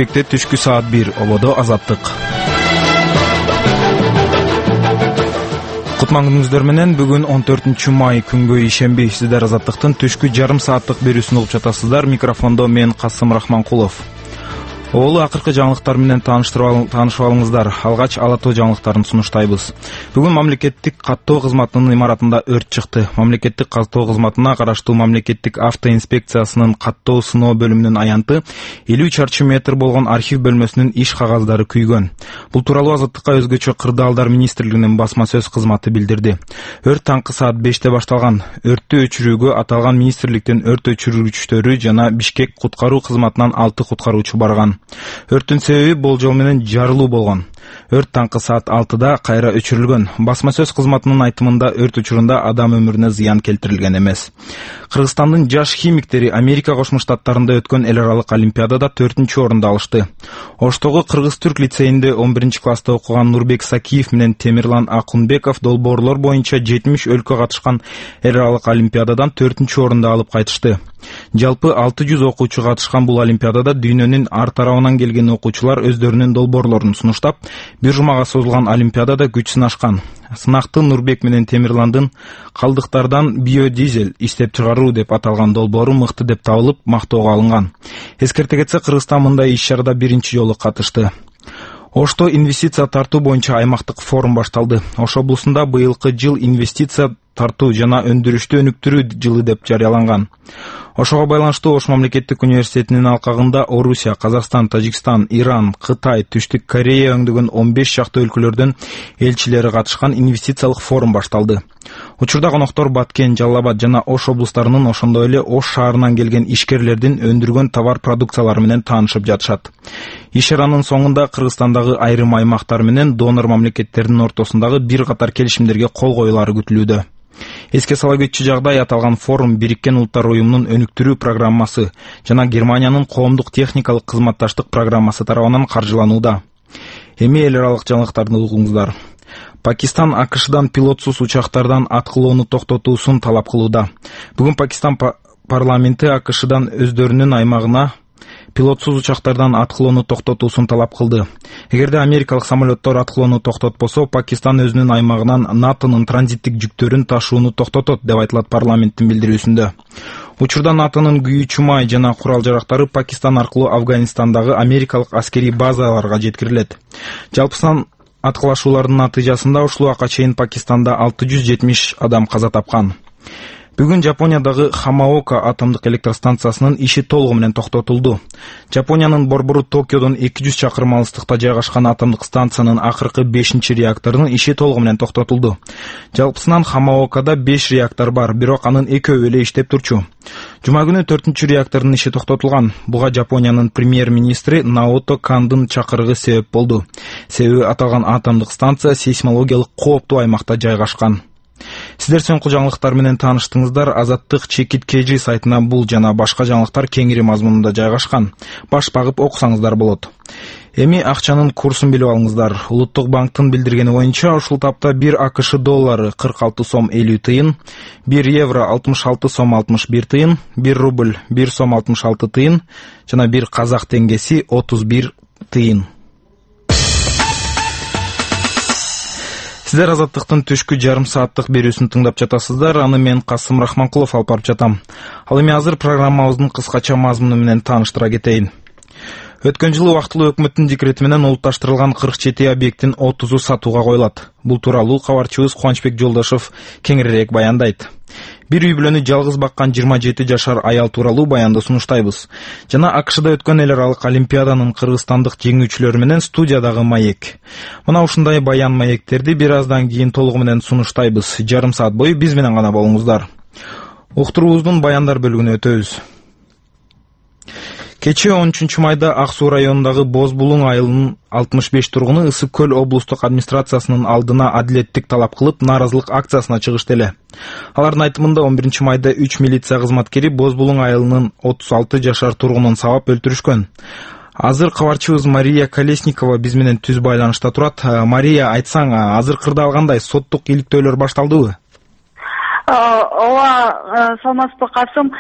Бишкекте түшкү саат 1, ободо азаттык. Кутман күнүңүздөр менен бүгүн 14 май күнгө ишемби. Сиздер азаттыктын түшкү жарым сааттык берүүсүн угуп жатасыздар. Микрофондо мен Касым Рахманкулов. Оолу акыркы жаңылыктар менен таанышып алыңыздар. Алгач ала тоо жаңылыктарын сунуштайбыз. Бүгүн мамлекеттик каттоо кызматынын имаратында өрт чыкты. Мамлекеттик каттоо кызматына караштуу мамлекеттик автоинспекциясынын каттоо сыноо бөлүмүнүн аянты 50 чарчы метр болгон архив бөлмөсүнүн иш кагаздары күйгөн. Бул тууралуу Азаттыкка өзгөчө Кырдаалдар министрлигинин басма сөз кызматы билдирди. Өрт таңкы саат 5-те башталган. Өрттү өчүрүүгө аталган министрликтен өрт өчүргүчтөрү жана Бишкек куткаруу кызматынан 6 куткаруучу барган. Өрттүн себеби болжол менен жарылуу болгон. Өрт таңкы саат 6-да кайра өчүрүлгөн. Басма сөз кызматынын айтымында өрт учурунда адам өмүрүнө зыян келтирилген эмес. Кыргызстандын жаш химиктери Америка Кошмо Штаттарында өткөн эл аралык олимпиадада 4-орунду алышты. Оштогу Кыргыз-Түрк лицейинде 11-класста окуган Нурбек Сакиев менен Темирлан Акунбеков долбоорлор боюнча 70 өлкө катышкан эл аралык олимпиададан 4-орунду алып кайтышты. Жалпы 600 окуучу катышкан бул олимпиадада дүйнөнүн ар тарабынан келген окуучулар өздөрүнүн долбоорлорун сунуштап, бир жумага созулган олимпиадада күч сынашкан. Сынакты Нурбек менен Темирландын калдыктардан биодизель иштеп чыгаруу деп аталган долбоору мыкты деп табылып, мактоого алынган. Эскерте кетсе, Кыргызстан мындай иш-чарада биринчи жолу катышты. Ошто инвестиция тартуу боюнча аймактык форум башталды. Ош облусунда быйылкы жыл инвестиция тартуу жана өндүрүштү өнүктүрүү жылы деп жарыяланган. Ошого байланыштуу Ош мамлекеттик университетинин алкагында Орусия, Казакстан, Тажикстан, Иран, Кытай, Түштүк Корея өңдөгөн 15 шакты өлкөлөрдөн элчилери катышкан инвестициялык форум башталды. Учурда коноктор Баткен, Жалал Абад жана Ош облустарынын, ошондой эле Ош шаарынан келген ишкерлердин өндүргөн товар продукциялары менен таанышып жатышат. Иш-чаранын соңунда Кыргызстандагы айрым аймактар менен донор мамлекеттердин ортосундагы бир катар келишимдерге кол коюлары күтүлүүдө. Эске сала кетчү жагдай, аталган форум Бириккен Улуттар уюмунун өнүктүрүү программасы жана Германиянын коомдук техникалык кызматташтык программасы тарабынан каржыланууда. Эми эл аралык жаңылыктарды угуңуздар. Пакистан АКШдан пилотсуз учактардан аткылоону токтотуусун талап кылууда. Бүгүн Пакистан парламенти АКШдан өздөрүнүн аймагына пилотсуз учактардан аткылоону токтотуусун талап кылды. Эгерде америкалык самолеттор аткылоону токтотпосо, Пакистан өзүнүн аймагынан НАТОнун транзиттик жүктөрүн ташууну токтотот деп айтылат парламенттин билдирүүсүндө. Учурда НАТОнун күйүүчү май жана курал жарактары Пакистан аркылуу Афганистандагы америкалык аскерий базаларга жеткирилет. Жалпысынан аткылашуулардын натыйжасында ушул убакка чейин Пакистанда 670 адам каза тапкан. Бүгүн Жапониядагы Хамаока атомдук электростанциясынын иши толугу менен токтотулду. Жапониянын борбору Токиодон 200 чакырым алыстыкта жайгашкан атомдук станциянын акыркы 5-реакторунун иши толугу менен токтотулду. Жалпысынан Хамаокада 5 реактор бар, бирок анын 2-өө эле иштеп турчу. Жума күнү 4-реактордун иши токтотулган. Буга Жапониянын премьер-министри Наото Кандын чакырыгы себеп болду. Себеби аталган атомдук станция сейсмологиялык кооптуу аймакта жайгашкан. Сиздер соңку жаңылыктар менен тааныштыңыздар. Азаттык чекит KG сайтына бул жана башка жаңылыктар кеңири мазмунунда жайгашкан. Баш багып окусаңыздар болот. Эми акчанын курсун билип алыңыздар. Улуттук банктын билдиргени боюнча, ушул тапта 1 АКШ доллары 46 сом 50 тыйын, 1 евро 66 сом 61 тыйын, 1 рубль 1 сом 66 тыйын жана 1 казак теңгеси 31 тыйын. Сиздер Азаттыктын түшкү жарым сааттык берүүсүн тыңдап жатасыздар. Аны мен Касым Рахманкулов алып барып жатам. Ал эми азыр программабыздын кыскача мазмуну менен тааныштыра кетейин. Өткөн жылы убактылуу өкмөттүн декрети менен улутташтырылган 47 объекттин 30-у сатууга коюлат. Бул тууралуу кабарчыбыз Кубанычбек Жолдошов кеңирээк баяндайт. Бир үй бүлөнү жалгыз баккан 27 жашар аял тууралуу баянды сунуштайбыз. Жана АКШда өткөн эл аралык олимпиаданын кыргызстандык жеңүүчүлөрү менен студиядагы маек. Мына ушундай баян маектерди бир аздан кийин толугу менен сунуштайбыз. Жарым саат бою биз менен гана болуңуздар. Уктуруубуздун баяндар бөлүгүнө өтөбүз. Кечээ 13 майда Ак Суу районундагы Боз Булуң айылынын 65 тургуну Ысык Көл облустук администрациясынын алдына адилеттик талап кылып, нааразылык акциясына чыгышты эле. Алардын айтымында 11 майда 3 милиция кызматкери Боз Булуң айылынын 36 жашар тургунун сабап өлтүрүшкөн. Азыр кабарчыбыз Мария Колесникова биз менен түз байланышта турат. Мария, айтсаң, азыркырда алгандай соттук иликтөөлөр башталдыбы? Ооба, саламатсызбы Касым.